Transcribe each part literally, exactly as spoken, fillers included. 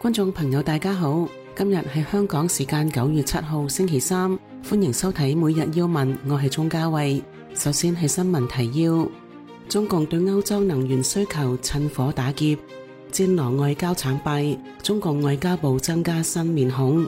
觀眾朋友大家好，今日係香港時間九月七號星期三，歡迎收睇每日要聞，我係鍾嘉慧。首先係新聞提要：中共對歐洲能源需求趁火打劫，戰狼外交慘敗，中共外交部增加新面孔。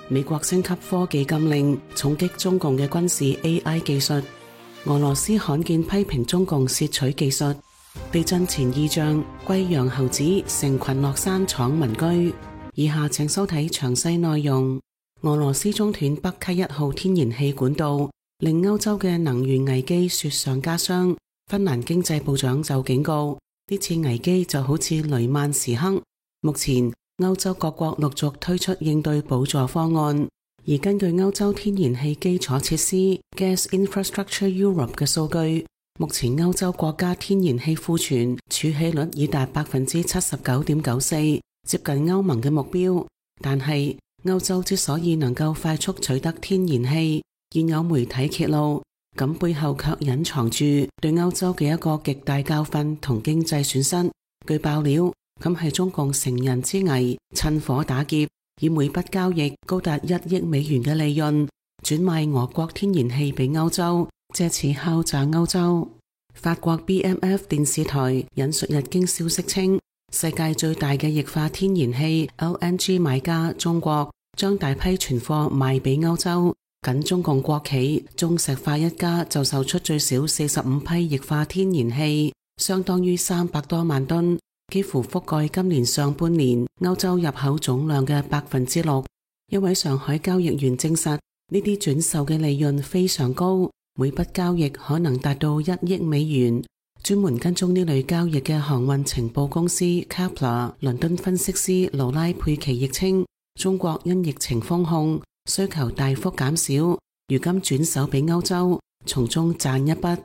美國升級科技禁令，重擊中共嘅軍事 A I 技術。俄羅斯罕見批評中共竊取技術。地震前異象，貴陽猴子成群落山闖民居。以下請收睇詳細內容。俄羅斯中斷北溪一號天然氣管道，令歐洲嘅能源危機雪上加霜。芬蘭經濟部長就警告，呢次危機就好似雷曼時刻。目前歐洲各國陸續推出應對補助方案，而根據歐洲天然氣基礎設施 Gas Infrastructure Europe 嘅數據，目前歐洲國家天然氣庫存儲氣率已達百分之七十九點九四，接近歐盟嘅目標。但係歐洲之所以能夠快速取得天然氣，現有媒體揭露，咁背後卻隱藏住對歐洲嘅一個極大教訓同經濟損失。據爆料，咁係中共乘人之危，趁火打劫，以每筆交易高達一億美元嘅利潤，轉賣俄國天然氣俾歐洲，借此敲詐歐洲。法國 B M F 電視台引述日經消息稱，世界最大嘅液化天然氣 L N G 買家中國將大批存貨賣俾歐洲，僅中共國企中石化一家就售出最少四十五批液化天然氣，相當於三百多萬噸，幾乎覆蓋今年上半年歐洲入口總量嘅百分之六。一位上海交易員證實，呢啲轉售嘅利潤非常高，每筆交易可能達到一億美元。專門跟蹤呢類交易嘅航運情報公司 Kepler 倫敦分析師勞拉佩奇亦稱，中國因疫情封控，需求大幅減少，如今轉手俾歐洲，從中賺一筆。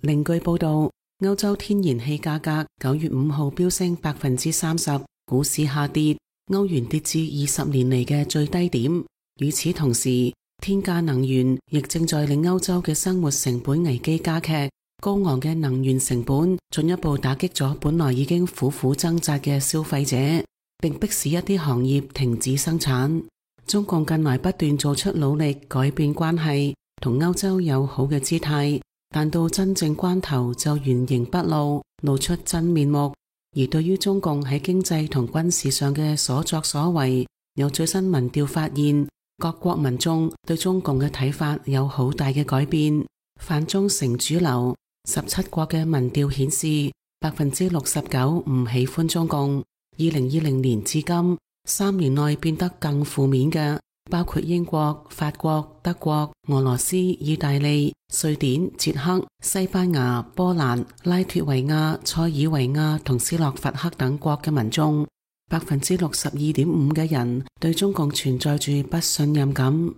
另據報道，歐洲天然氣價格九月五號飆升百分之三十，股市下跌，歐元跌至二十年嚟嘅最低點。與此同時，天價能源亦正在令歐洲嘅生活成本危機加劇，高昂嘅能源成本進一步打擊咗本來已經苦苦掙扎嘅消費者，並迫使一啲行業停止生產。中共近來不斷做出努力改變關係，同歐洲友好嘅姿態，但到真正關頭就原形畢露，露出真面目。而對於中共喺經濟同軍事上嘅所作所為，有最新民調發現，各國民眾對中共嘅睇法有好大嘅改變，反中成主流。十七國嘅民調顯示，百分之六十九唔喜歡中共。二零二零年至今，三年內變得更負面嘅，包括英國、法國、德國、俄羅斯、意大利、瑞典、捷克、西班牙、波蘭、拉脱維亞、塞爾維亞同斯洛伐克等國嘅民眾，百分之六十二點五嘅人對中共存在住不信任感。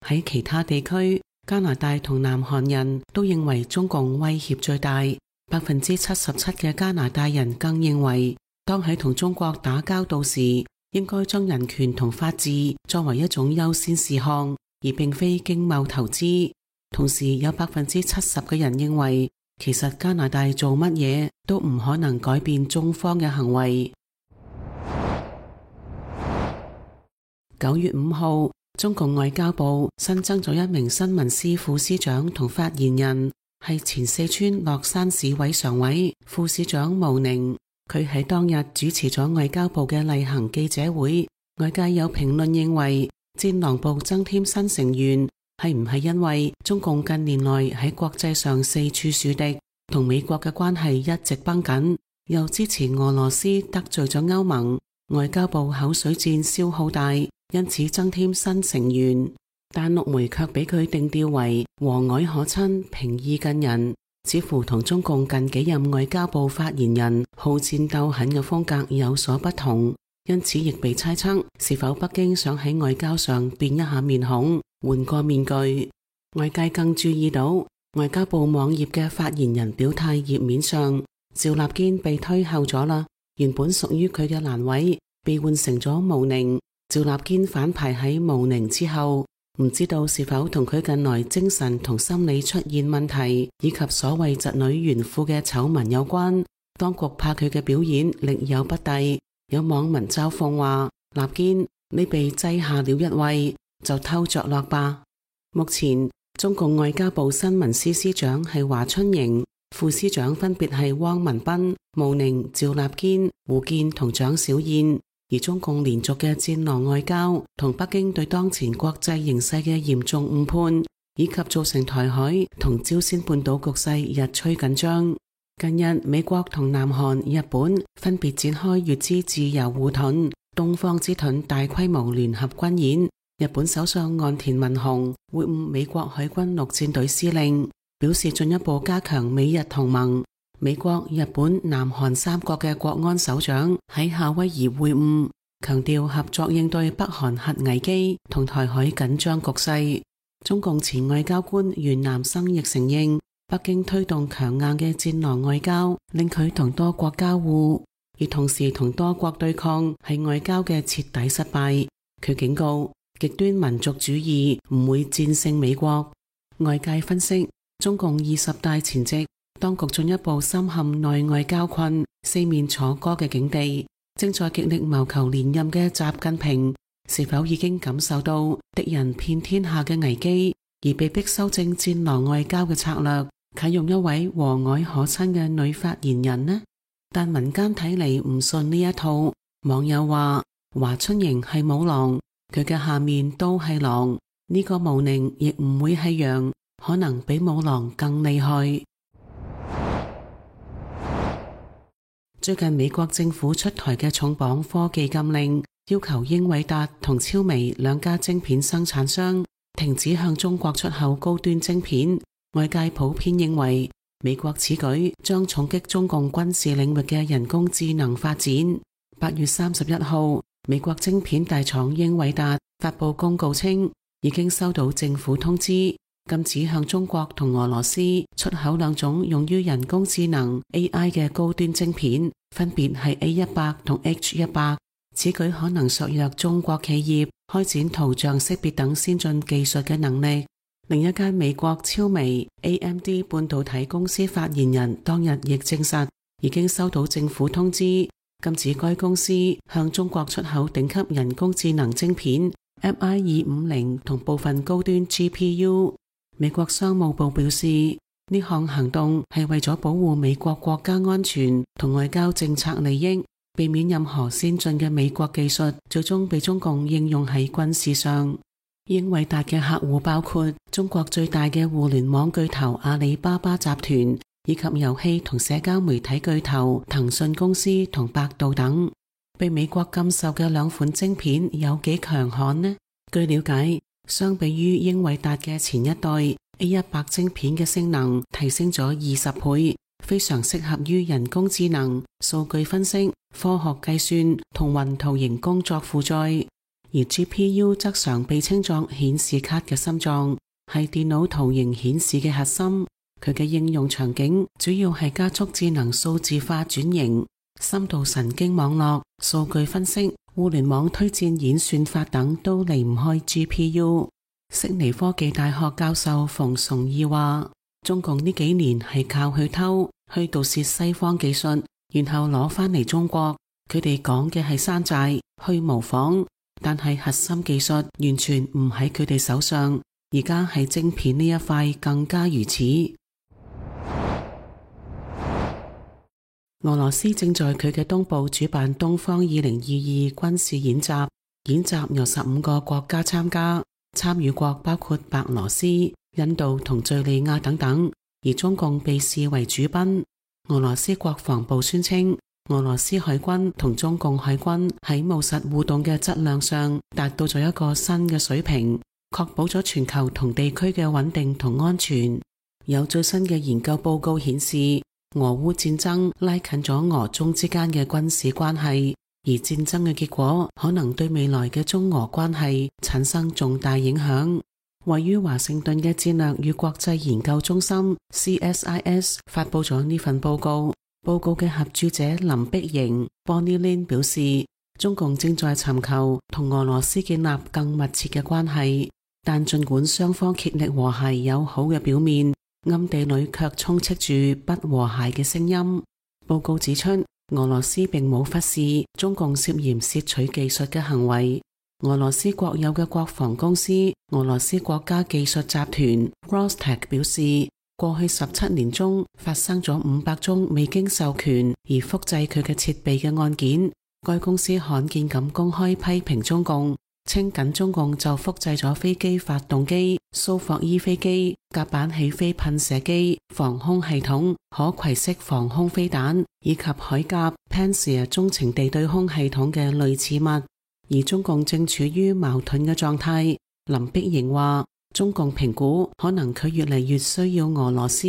喺其他地區，加拿大同南韓人都認為中共威脅最大，百分之七十七嘅加拿大人更認為，當喺同中國打交道時，應該將人權同法治作為一種優先事項，而並非經貿投資。同時有百分之七十嘅人認為，其實加拿大做乜嘢都唔可能改變中方嘅行為。九月五號，中共外交部新增咗一名新聞司副司長同發言人，係前四川樂山市委常委、副市長毛寧。佢喺當日主持咗外交部嘅例行記者會。外界有評論認為，戰狼部增添新成員，係唔係因為中共近年來喺國際上四處樹敵，同美國嘅關係一直繃緊，又支持俄羅斯得罪咗歐盟，外交部口水戰消耗大，因此增添新成員。但陸媒卻俾佢定調為和藹可親、平易近人，似乎同中共近幾任外交部發言人好戰鬥狠嘅風格有所不同，因此亦被猜測是否北京想喺外交上變一下面孔，換個面具。外界更注意到外交部網頁嘅發言人表態頁面上，趙立堅被推後咗啦，原本屬於佢嘅欄位被換成咗毛寧，趙立堅反排喺毛寧之後。唔知道是否同佢近來精神同心理出現問題，以及所謂侄女炫富嘅醜聞有關，當局怕佢嘅表演力有不逮。有網民嘲諷話，立堅，你被擠下了一位，就偷着樂吧。目前中共外交部新聞司司長係華春瑩，副司長分別係汪文斌、毛寧、趙立堅、胡健同蔣小燕。而中共連續嘅戰狼外交同北京對當前國際形勢嘅嚴重誤判，以及造成台海同朝鮮半島局勢日趨緊張。近日美國同南韓、日本分別展開乙支自由護盾、東方之盾大規模聯合軍演。日本首相岸田文雄會晤美國海軍陸戰隊司令，表示進一步加強美日同盟。美國、日本、南韓三國嘅國安首長喺夏威夷會晤，強調合作應對北韓核危機同台海緊張局勢。中共前外交官袁南生亦承認，北京推動強硬嘅戰狼外交，令佢同多國交惡，而同時同多國對抗係外交嘅徹底失敗。佢警告，極端民族主義唔會戰勝美國。外界分析，中共二十大前夕，當局進一步深陷內外交困、四面楚歌嘅境地，正在極力謀求連任嘅習近平，是否已經感受到敵人遍天下嘅危機，而被迫修正戰狼外交嘅策略，啟用一位和藹可親嘅女發言人呢？但民間睇嚟唔信呢一套，網友話華春瑩係母狼，佢嘅下面都係狼，呢、這個毛寧亦唔會係羊，可能比母狼更厲害。最近美國政府出台嘅重磅科技禁令，要求英偉達同超微兩家晶片生產商停止向中國出口高端晶片。外界普遍認為，美國此舉將重擊中共軍事領域嘅人工智能發展。八月三十一號，美國晶片大廠英偉達發布公告稱，已經收到政府通知，禁止向中國同俄羅斯出口兩種用於人工智能 A I 嘅高端晶片，分別係 A 一百同 H 一百。此舉可能削弱中國企業開展圖像識別等先進技術嘅能力。另一間美國超微 A M D 半導體公司發言人當日亦證實，已經收到政府通知，禁止該公司向中國出口頂級人工智能晶片 M I 二五零同部分高端 G P U。美國商務部表示，呢項行動係為咗保護美國國家安全同外交政策利益，避免任何先進嘅美國技術最終被中共應用喺軍事上。英偉達嘅客戶包括中國最大嘅互聯網巨頭阿里巴巴集團，以及遊戲同社交媒體巨頭騰訊公司同百度等。被美國禁售嘅兩款晶片有幾強悍呢？據了解，相比於英偉達嘅前一代 A 一百 晶片嘅性能提升咗二十倍，非常適合於人工智能、數據分析、科學計算同雲圖形工作負載。而 G P U 則常被稱作顯示卡嘅心臟，係電腦圖形顯示嘅核心。佢嘅應用場景主要係加速智能數字化轉型、深度神經網絡、數據分析、互聯網推薦演算法等都離唔開 G P U。悉尼科技大學教授馮崇義話，中共呢幾年係靠去偷、去盜竊西方技術，然後攞翻嚟中國。佢哋講嘅係山寨、去模仿，但係核心技術完全唔喺佢哋手上。而家係晶片呢一塊更加如此。俄羅斯正在佢嘅東部主辦東方二零二二軍事演習，演習由十五個國家參加。參與國包括白羅斯、印度同敘利亞等等，而中共被視為主賓。俄羅斯國防部宣稱，俄羅斯海軍同中共海軍喺務實互動嘅質量上達到咗一個新嘅水平，確保咗全球同地區嘅穩定同安全。有最新嘅研究報告顯示，俄烏戰爭拉近咗俄中之間嘅軍事關係。而戰爭嘅結果可能對未來嘅中俄關係產生重大影響。位於華盛頓嘅戰略與國際研究中心 C S I S 發佈咗呢份報告。報告嘅合著者林碧瑩 Bonnie Lin 表示，中共正在尋求同俄羅斯建立更密切嘅關係，但盡管雙方竭力和諧友好嘅表面，暗地裏卻充斥住不和諧嘅聲音。報告指出，俄羅斯並冇忽視中共涉嫌竊取技術嘅行為。俄羅斯國有嘅國防公司俄羅斯國家技術集團 Rostec 表示，過去十七年中發生咗五百宗未經授權而複製佢嘅設備嘅案件。該公司罕見咁公開批評中共，稱緊中共就複製咗飛機發動機、蘇霍伊飛機、甲板起飛噴射機、防空系統、可攜式防空飛彈以及海鴿 Pantsir 中程地對空系統嘅類似物，而中共正處於矛盾嘅狀態。林碧瑩話，中共評估可能佢越嚟越需要俄羅斯，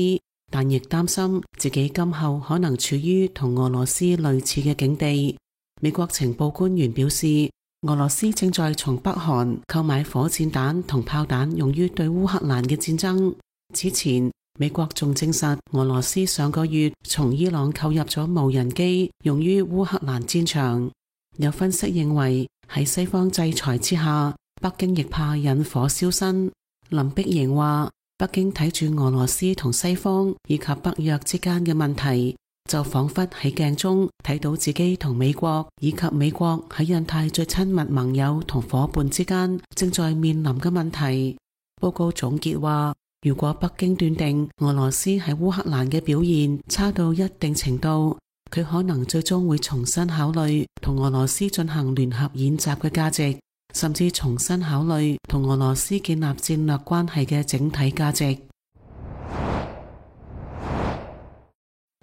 但亦擔心自己今後可能處於同俄羅斯類似嘅境地。美國情報官員表示，俄羅斯正在從北韓購買火箭彈同炮彈用於對烏克蘭嘅戰爭。此前，美國仲證實俄羅斯上個月從伊朗購入咗無人機用於烏克蘭戰場。有分析認為，喺西方制裁之下，北京亦怕引火燒身。林碧瑩話，北京睇住俄羅斯同西方以及北約之間嘅問題，就仿佛喺鏡中睇到自己同美國以及美國喺印太最親密盟友同夥伴之間正在面臨嘅問題。報告總結話，如果北京斷定俄羅斯喺烏克蘭嘅表現差到一定程度，佢可能最終會重新考慮同俄羅斯進行聯合演習嘅價值，甚至重新考慮同俄羅斯建立戰略關係嘅整體價值。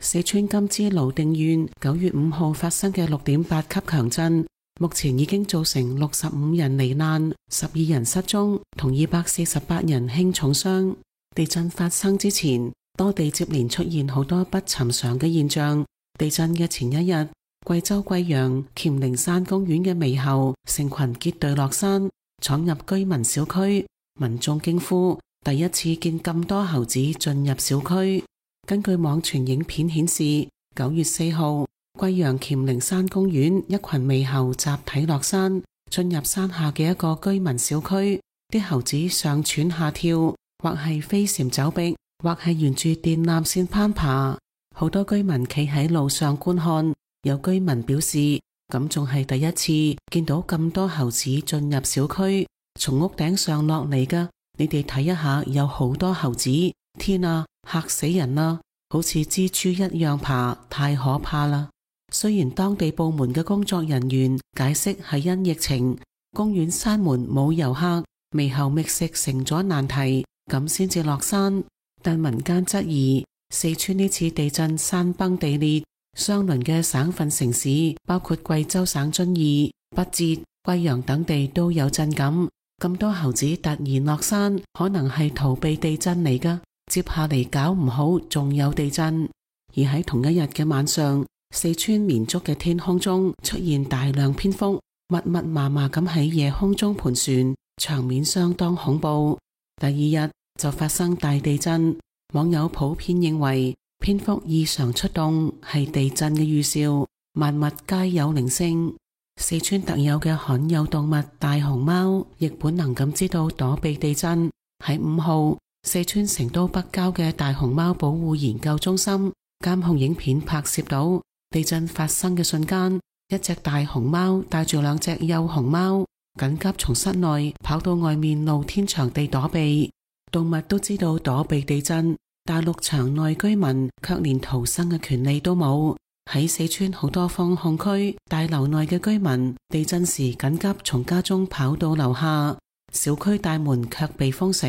四川甘孜瀘定縣九月五號發生嘅六點八級強震，目前已經造成六十五人罹難、十二人失蹤同二百四十八人輕重傷。地震發生之前，多地接連出現好多不尋常嘅現象。地震嘅前一日，貴州貴陽黔靈山公園嘅獼猴成群結隊落山，闖入居民小區，民眾驚呼第一次見咁多猴子進入小區。根據網傳影片顯示，九月四號，貴陽黔靈山公園一群獼猴集體落山，進入山下嘅一個居民小區，啲猴子上竄下跳，或係飛檐走壁，或係沿住電纜線攀爬。好多居民企喺路上觀看，有居民表示，咁仲係第一次見到咁多猴子進入小區，從屋頂上落嚟㗎。你哋睇一下，有好多猴子，天啊，嚇死人啦！好似蜘蛛一樣爬，太可怕啦！雖然當地部門嘅工作人員解釋係因疫情，公園閂門冇遊客，獼猴覓食成咗難題，咁先至落山，但民間質疑四川呢次地震山崩地裂，相鄰嘅省份城市包括貴州省遵義、畢節、貴陽等地都有震感。咁多猴子突然落山，可能係逃避地震嚟㗎。接下嚟搞唔好仲有地震。而喺同一日嘅晚上，四川綿竹嘅天空中出現大量蝙蝠，密密麻麻咁喺夜空中盤旋，場面相當恐怖。第二日就發生大地震，網友普遍認為蝙蝠異常出動係地震嘅預兆，萬物皆有靈性。四川特有嘅罕有動物大熊貓亦本能咁知道躲避地震。喺五號，四川成都北郊嘅大熊貓保護研究中心監控影片拍攝到地震發生嘅瞬間，一隻大熊貓帶住兩隻幼熊貓緊急從室內跑到外面露天場地躲避。動物都知道躲避地震，大陸場內居民卻連逃生嘅權利都冇。喺四川好多封控區大樓內嘅居民，地震時緊急從家中跑到樓下，小區大門卻被封死，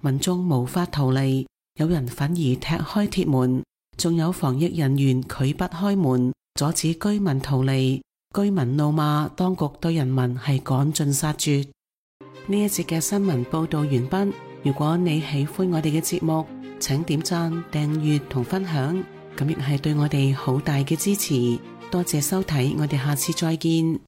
民眾無法逃離，有人反而踢開鐵門，仲有防疫人員拒不開門，阻止居民逃離。居民怒罵當局對人民係趕盡殺絕。呢一節嘅新聞報道完畢。如果你喜歡我哋嘅節目，請點讚、訂閱同分享，咁亦係對我哋好大嘅支持。多謝收睇，我哋下次再見。